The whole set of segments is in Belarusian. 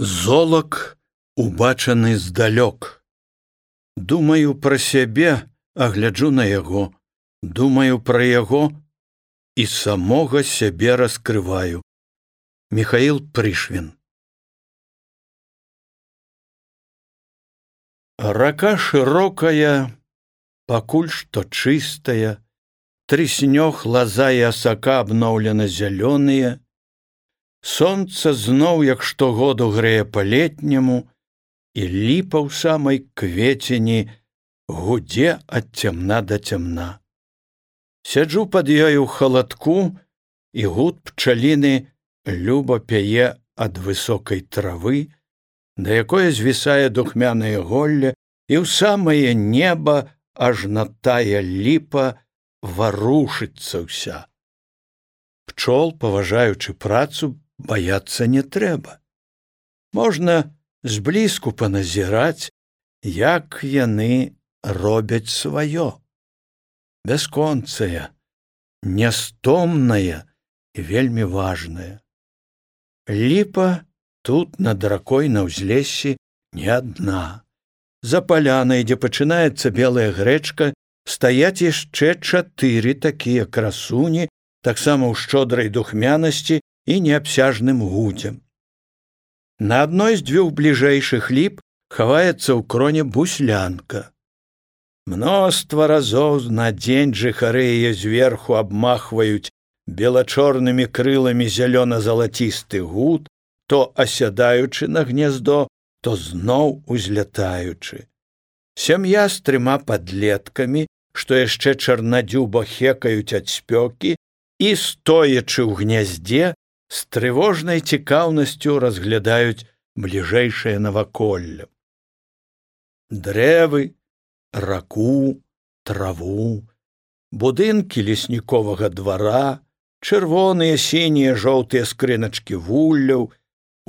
Золак, убачаны здалёк. Думаю пра сябе, а гляджу на яго. Думаю пра яго і самога сябе раскрываю. Михаил Пришвин. Рака шырокая, пакуль што чыстая, трыснёг лаза і асака абноўлена зялёныя. Сонца зноў, як штогоду грэе па-летняму, і ліпа ў самай квецені гудзе ад цямна да цямна. Сяджу пад ёю ў халадку, і гуд пчаліны люба пяе ад высокай травы, да якое звісае духмянае голле, і ў самае неба ажна тая ліпа варушыцца ўся. Пчол, паважаючы працу, баяцца не трэба. Можна зблізку паназіраць, як яны робяць сваё. Бясконцая, нястомная і вельмі важная. Ліпа тут над ракой на ўзлессі не адна. За палянай, дзе пачынаецца белая грэчка, стаяць яшчэ 4 такія красуні, таксама ў шчодрай духмянасці і неабсяжным гудзем. На адной з 2 бліжэйшых ліп хаваецца ў кроне буслянка. Мноства разоў на дзень жыхары яе зверху абмахваюць белачорнымі крыламі зялёна-залацісты гуд, то асядаючы на гнездо, то зноў узлятаючы. Сям'я з 3 падлеткамі, што яшчэ чарнадзюба хекаюць ад спёкі, і, стоячы ў гняздзе, з трывожнай цікаўнасцю разглядаюць бліжэйшае наваколле. Дрэвы, раку, траву, будынкі лесніковага двара, чырвоныя, сінія, жоўтыя скрыначкі вулляў,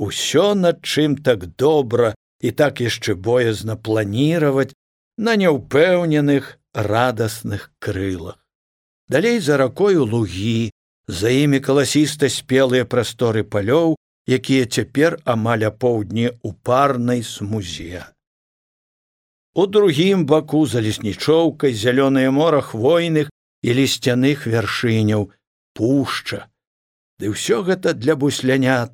усё, над чым так добра і так яшчэ боязна планіраваць на няўпэўненых, радасных крылах. Далей за ракою лугі, за імі каласіста спелыя прасторы палёў, якія цяпер амаль апоўдні ў парнай смузе. У другім баку за леснічоўкай зялёнае мора хвойных і лісцяных вяршыняў, пушча. Ды ўсё гэта для буслянят.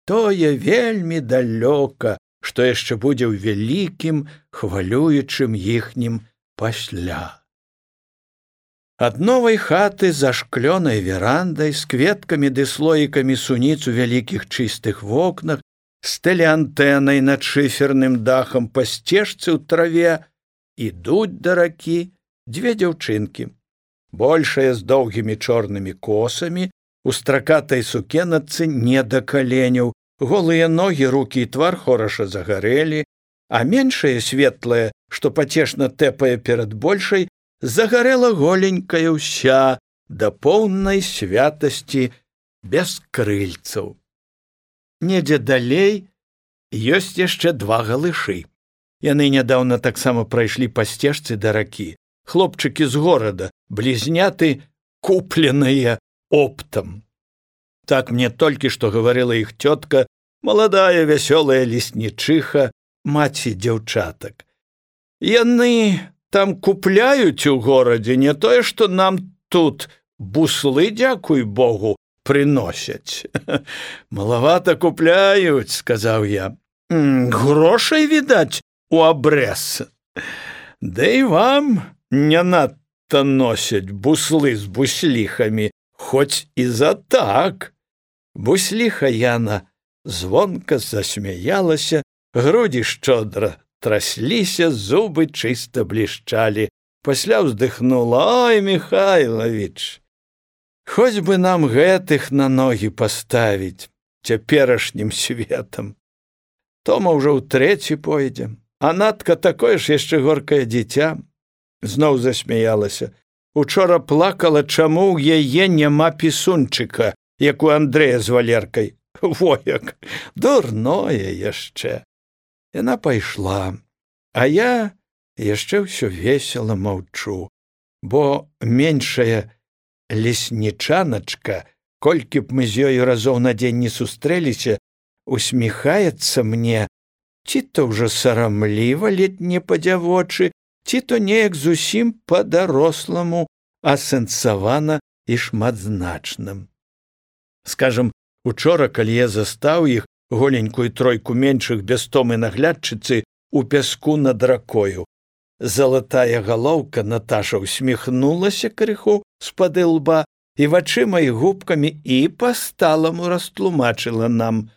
Тое вельмі далёка, што яшчэ будзе ў вялікім, хвалюючым іхнім пасля. Ад новай хаты за шклёнай верандай з кветкамі ды слоікамі суніц у вялікіх чыстых вокнах, з тэлеантэнай над шыферным дахам па сцежцы ў траве ідуць да ракі 2 дзяўчынкі. Большая з доўгімі чорнымі косамі, у стракатай сукеначцы не да каленяў, голыя ногі, рукі і твар хораша загарэлі, а меншая светлая, што пацешна тэпае перад большай, загарэла голенькая ўся да поўнай святасці без крыльцаў. Недзе далей ёсць яшчэ 2 галышы. Яны нядаўна таксама прайшлі па сцежцы да ракі. Хлопчыкі з горада, блізняты, купленыя оптам. Так мне толькі што гаварыла іх цётка, маладая вясёлая леснічыха, маці дзяўчатак. Яны там купляюць у горадзе не тое, што нам тут буслы, дзякуй Богу, прыносяць. Малавата купляюць, сказаў я. Грошай, відаць, у абрэз. Да і вам не надта носяць буслы з бусліхамі, хоць і за так. Бусліха Яна звонка засмяялася, грудзі шчодра трасліся, зубы чыста блішчалі. Пасля ўздыхнула: «Ой, Михайлович, хоць бы нам гэтых на ногі паставіць цяперашнім светам. Тома ўжо ў 3 пойдзе, а Натка такое ж яшчэ горкае дзіця». Зноў засмяялася. Учора плакала, чаму ў яе няма пісунчыка, як у Андрэя з Валеркай. Во як, дурное яшчэ. Яна пайшла, а я яшчэ ўсё весела маўчу, бо меншая леснічаначка, колькі б мы з ёю разоў на дзень не сустрэліся, усміхаецца мне, ці то ўжо сарамліва, ледь не па-дзявочы, ці то неяк зусім па-даросламу, асэнсавана і шматзначным. Скажам, учора, калі я застаў іх, голенькую тройку меншых бястомы наглядчыцы, у пяску над ракою, залатая галоўка Наташа усміхнулася крыху з-пад лба і вачыма і губкамі і па-сталаму растлумачыла нам: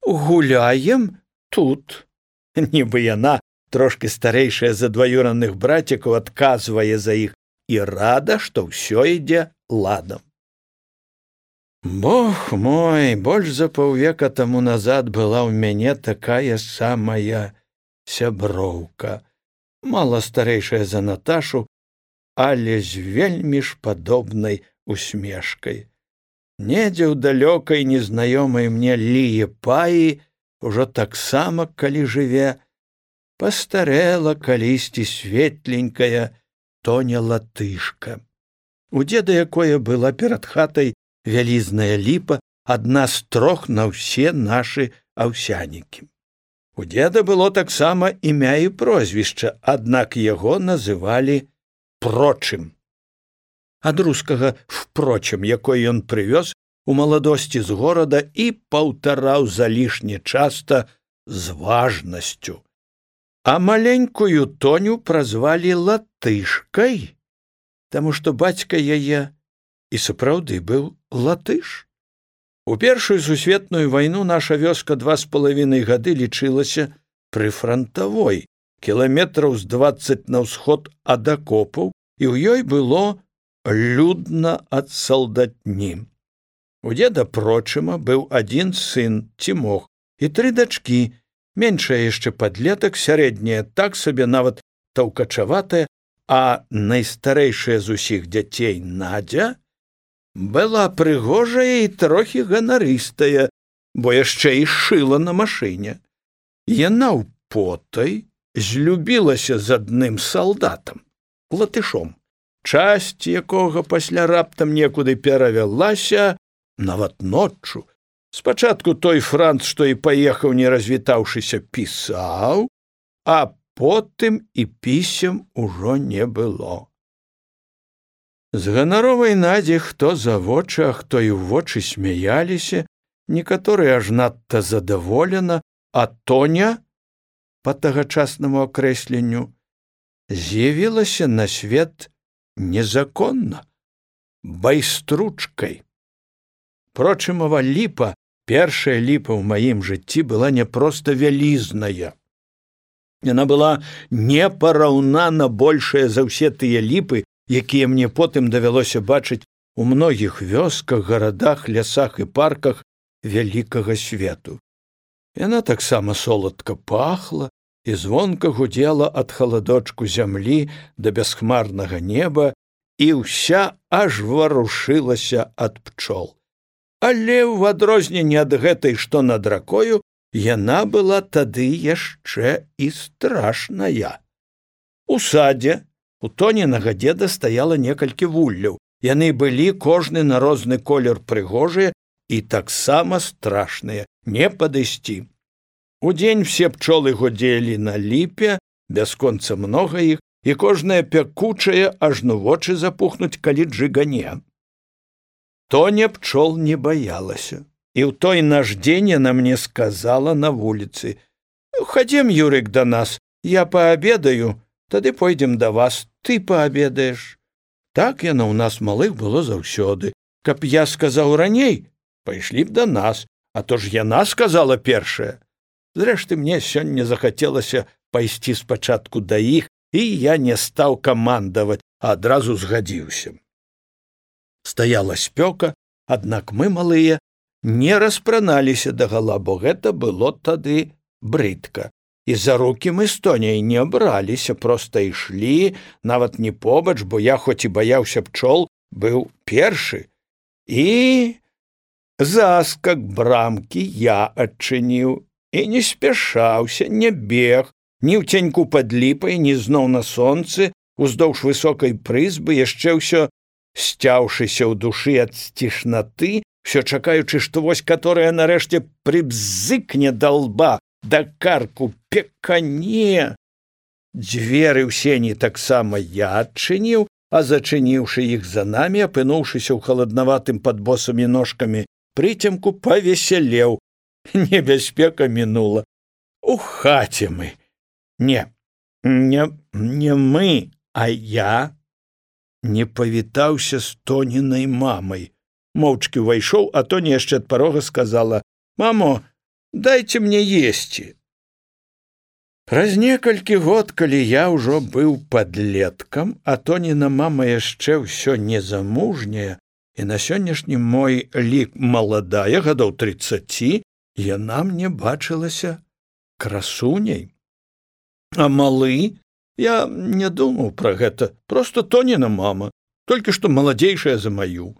«Гуляем тут». Нібы яна, трошки старэйшая за дваюраных брацікаў, адказвае за іх і рада, што ўсё ідзе ладам. Бог мой, больш за паўвека таму назад была ў мяне такая самая сяброўка, мала старэйшая за Наташу, але з вельмі ж падобнай усмешкай. Недзе ў далёкай незнаёмай мне Ліепаі, ужо таксама, калі жыве, пастарэла калісьці светленькая Тоня Латышка. У дзеда якое была перад хатай вялізная ліпа, адна з 3 на ўсе нашы аўсянікі. У дзеда было таксама імя і прозвішча, аднак яго называлі Прочым. Ад рускага «впрочем», якой ён прывёз у маладосці з горада і паўтараў залішне часта з важнасцю. А маленькую Тоню празвалі Латышкай, таму што бацька яе і сапраўды быў латыш. У Першую сусветную вайну наша вёска 2,5 гады лічылася прыфрантавой, кіламетраў з 20 на ўсход ад акопаў, і ў ёй было людна ад салдатні. У дзеда Прочыма быў адзін сын, Цімох, і 3 дачкі, меншая яшчэ падлетак, сярэдняя так сабе нават таўкачаватая, а найстарэйшая з усіх дзяцей Надзя была прыгожая і трохі ганарыстая, бо яшчэ і шыла на машыне. Яна ў потай злюбілася з адным салдатам, латышом, часць якога пасля раптам некуды перавялася, нават ноччу. Спачатку той франц, што і паехаў, не развітаўшыся, пісаў, а потым і пісем ужо не было. З ганаровай Надзі хто за вочы, а хто і ў вочы смяяліся, некаторыя аж надта задаволена, а Тоня, па тагачаснаму акрэсленню, з'явілася на свет незаконна, байстручкай. Прочымава ліпа, першая ліпа ў маім жыцці, была не проста вялізная. Яна была непараўнана большая за ўсе тыя ліпы, якія мне потым давялося бачыць у многіх вёсках, гарадах, лясах і парках вялікага свету. Яна таксама соладка пахла і звонка гудзела ад халадочку зямлі да бясхмарнага неба, і ўся аж варушылася ад пчол. Але ў адрозненне ад гэтай, што над ракою, яна была тады яшчэ і страшная. У садзе у Тонінага дзеда стаяла некалькі вулляў. Яны былі кожны на розны колер прыгожыя і таксама страшныя, не падысці. Удзень все пчолы гудзелі на ліпе, бясконца многа іх, і кожная пякучая, ажно вочы запухнуць, калі джыгане. Тоня пчол не баялася, і ў той наш дзень яна мне сказала на вуліцы: «Хадзем, Юрык, да нас, я паабедаю, тады пойдзем да вас, ты паабедаеш». Так яна ў нас малых было заўсёды. Каб я сказаў раней, пайшлі б да нас, а то ж яна сказала першая. Зрэшты, мне сёння захацелася пайсці спачатку да іх, і я не стаў камандаваць, а адразу згадзіўся. Стаяла спёка, аднак мы, малыя, не распраналіся дагала, бо гэта было тады брыдка. І за рукі мы з Тоняй не браліся, проста ішлі, нават не побач, бо я, хоць і баяўся пчол, быў першы. І заскак брамкі я адчыніў, і не спяшаўся, не бег, ні ў цяньку пад ліпай, ні зноў на сонцы, уздоўж высокай прызбы, яшчэ ўсё сцяўшыся ў душы ад сцішнаты Усё чакаючы, што вось каторая нарэшце прыбзыкне да лба, да карку пекане. Дзверы ў сені таксама я адчыніў, а зачыніўшы іх за намі, апынуўшыся ў халаднаватым пад босымі ножкамі прыцемку, павесялеў. Небяспека мінула. У хаце мы. Не мы, а я не павітаўся з Тонінай мамай. Моўчкі ўвайшоў, а Тоня яшчэ ад парога сказала: «Мамо, дайце мне есці». Праз некалькі год, калі я ўжо быў падлеткам, а Тоніна мама яшчэ ўсё незамужняя, і на сённяшні мой лік маладая, гадоў 30, яна мне бачылася красуняй. А малы? Я не думаў пра гэта, проста Тоніна мама, толькі што маладзейшая за маю.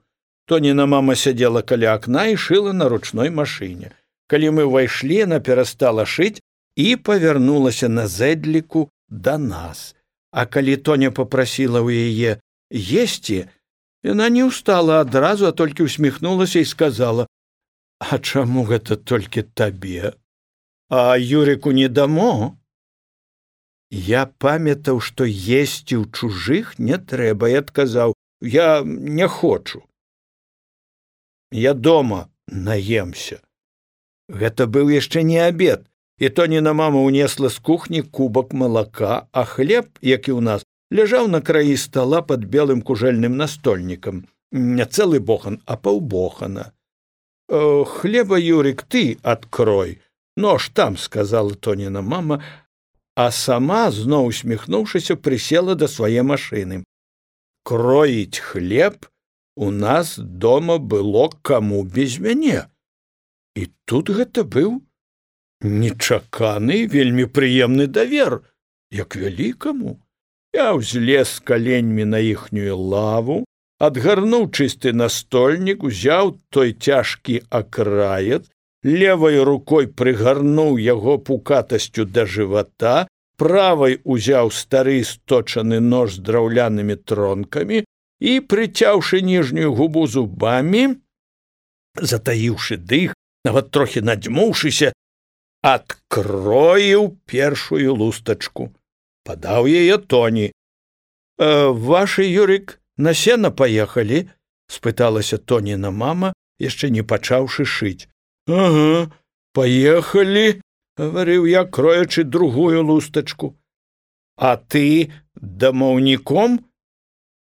Тоніна мама сядзела каля акна і шыла на ручной машыне. Калі мы ўвайшлі, яна перастала шыць і павярнулася на зэдліку да нас. А калі Тоня папрасіла ў яе есці, яна не ўстала адразу, а толькі усміхнулася і сказала: «А чаму гэта толькі табе? А Юрыку не дамо?» Я памятаў, што есці ў чужых не трэба, і адказаў: «Я не хочу. Я дома наемся». Гэта быў яшчэ не абед, і Тоніна мама ўнесла з кухні кубак малака, а хлеб, як і ў нас, ляжаў на краі стала пад белым кужэльным настольнікам. Не цэлы бохан, а паўбохана. «Хлеба, Юрик, ты адкрой. Нож там», — сказала Тоніна мама, а сама, зноў усміхнуўшыся, прысела да свае машыны. Кроіць хлеб у нас дома было каму без мяне. І тут гэта быў нечаканы, вельмі прыемны давер, як вялікаму. Я ўзлез каленьмі на іхнюю лаву, адгарнуў чысты настольнік, узяў той цяжкі акраец, левай рукой прыгарнуў яго пукатасцю да жывата, правай узяў стары сточаны нож з драўлянымі тронкамі і, прыцяўшы ніжнюю губу зубамі, затаіўшы дых, нават трохі надзьмуўшыся, адкроіў першую лустачку. Падаў яе Тоні. «Вашы, Юрик, на сена паехалі?» — спыталася Тоніна мама, яшчэ не пачаўшы шыць. «Ага, паехалі», — гаварыў я, кроячы другую лустачку. «А ты дамаўніком?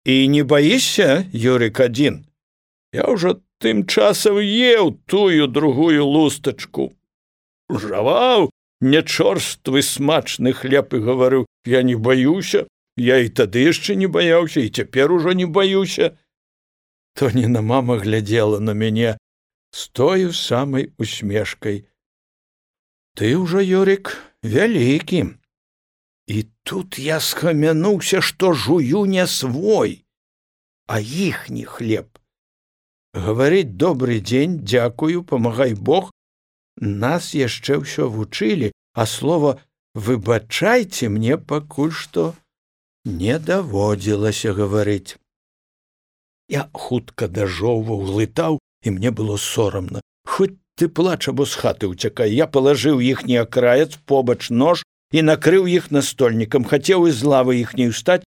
І не баішся, Юрик, адзін? Я ўжо тым часам еў тую другую лустачку. Жаваў нячорствы смачны хлеб і гаварыў: я не баюся, я і тады яшчэ не баяўся, і цяпер ужо не баюся». Тоніна мама глядзела на мяне з тою самай усмешкай. «Ты ўжо, Юрик, вялікі». І тут я схамянуўся, што жую не свой, а іхні хлеб. Гаварыць «добрый дзень», «дзякую», «памагай Бог» нас яшчэ ўсё вучылі, а слова «выбачайце» мне пакуль што не даводзілася гаварыць. Я хутка дажоўваў, глытаў, і мне было сорамна. Хоць ты плач або з хаты ўцякай. Я палажыў іхні акраец, побач нож і накрыў іх настольнікам, хацеў з лавы іхняй устаць,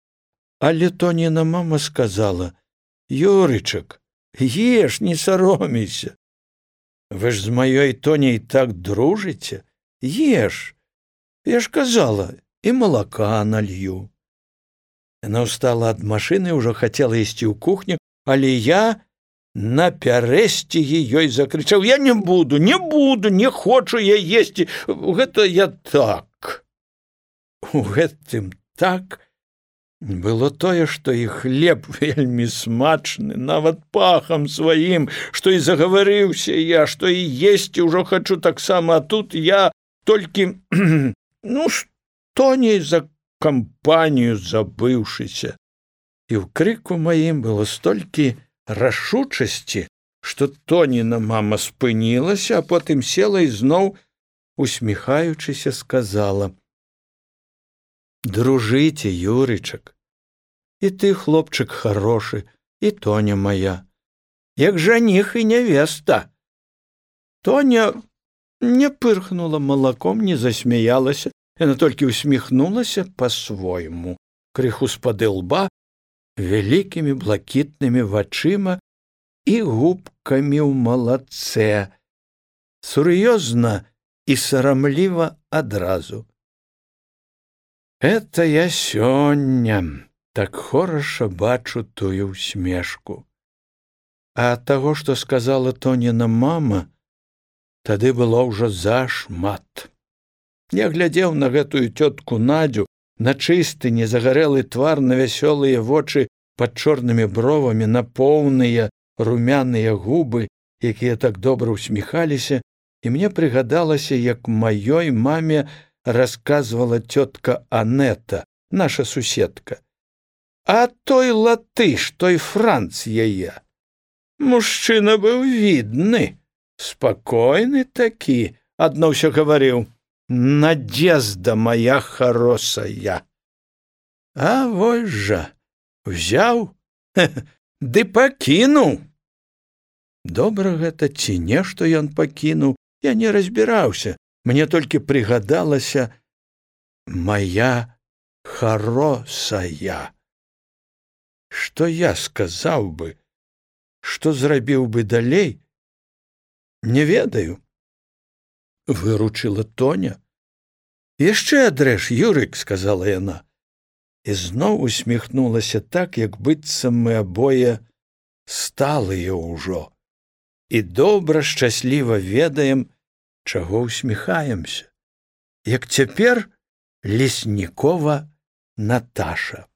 але Тоніна мама сказала: «Юрычак, еш, не саромейся. Вы ж з маёй Тоняй так дружыце. Еш. Я ж казала, і малака налью». Яна ўстала ад машыны, ўжо хацела ісці ў кухню, але я напярэсцігі ёй закрычаў: «Я не буду, не хочу я есці, гэта я так». У гэтым «так» было тое, што і хлеб вельмі смачны, нават пахам сваім, што і загаварыўся я, што і есці ўжо хачу таксама, а тут я толькі, з Тоняй за кампанію забыўшыся. І ў крыку маім было столькі рашучасці, што Тоніна мама спынілася, а потым села і зноў, усміхаючыся, сказала: «Дружыце, Юрычак, і ты, хлопчык хорошы, і Тоня моя. як жаніх і нявеста. Тоня не пырхнула малаком, не засмяялася, яна толькі усміхнулася па-свойму, крыху з-пад лба, вялікімі блакітнымі вачыма і губкамі ў малацэ, сур'ёзна і сарамліва адразу. Это я сёння так хораша бачу тую ўсмешку. А таго, што сказала Тоніна мама, тады было ўжо зашмат. Я глядзеў на гэтую цётку Надзю, на чысты, незагарэлы твар, на вясёлыя вочы пад чорнымі бровамі, на поўныя румяныя губы, якія так добра ўсміхаліся, і мне прыгадалася, як маёй маме расказвала цётка Анета, наша суседка. А той латыш, той Франц яе. Мужчына быў відны, спакойны такі, адно ўсё гаварыў: «Надзезда моя хорошая». А вось жа, взяў, ды пакінуў. Добра гэта ці не, што ён пакінуў, я не разбіраўся, мне толькі прыгадалася «моя хорошая». Што я сказаў бы, што зрабіў бы далей, не ведаю. Выручыла Тоня. «Яшчэ адрэж, Юрык», — сказала яна, і зноў усміхнулася так, як быццам мы абое сталыя ўжо і добра, шчасліва ведаем, чаго усміхаемся, як цяпер Леснікова Наташа.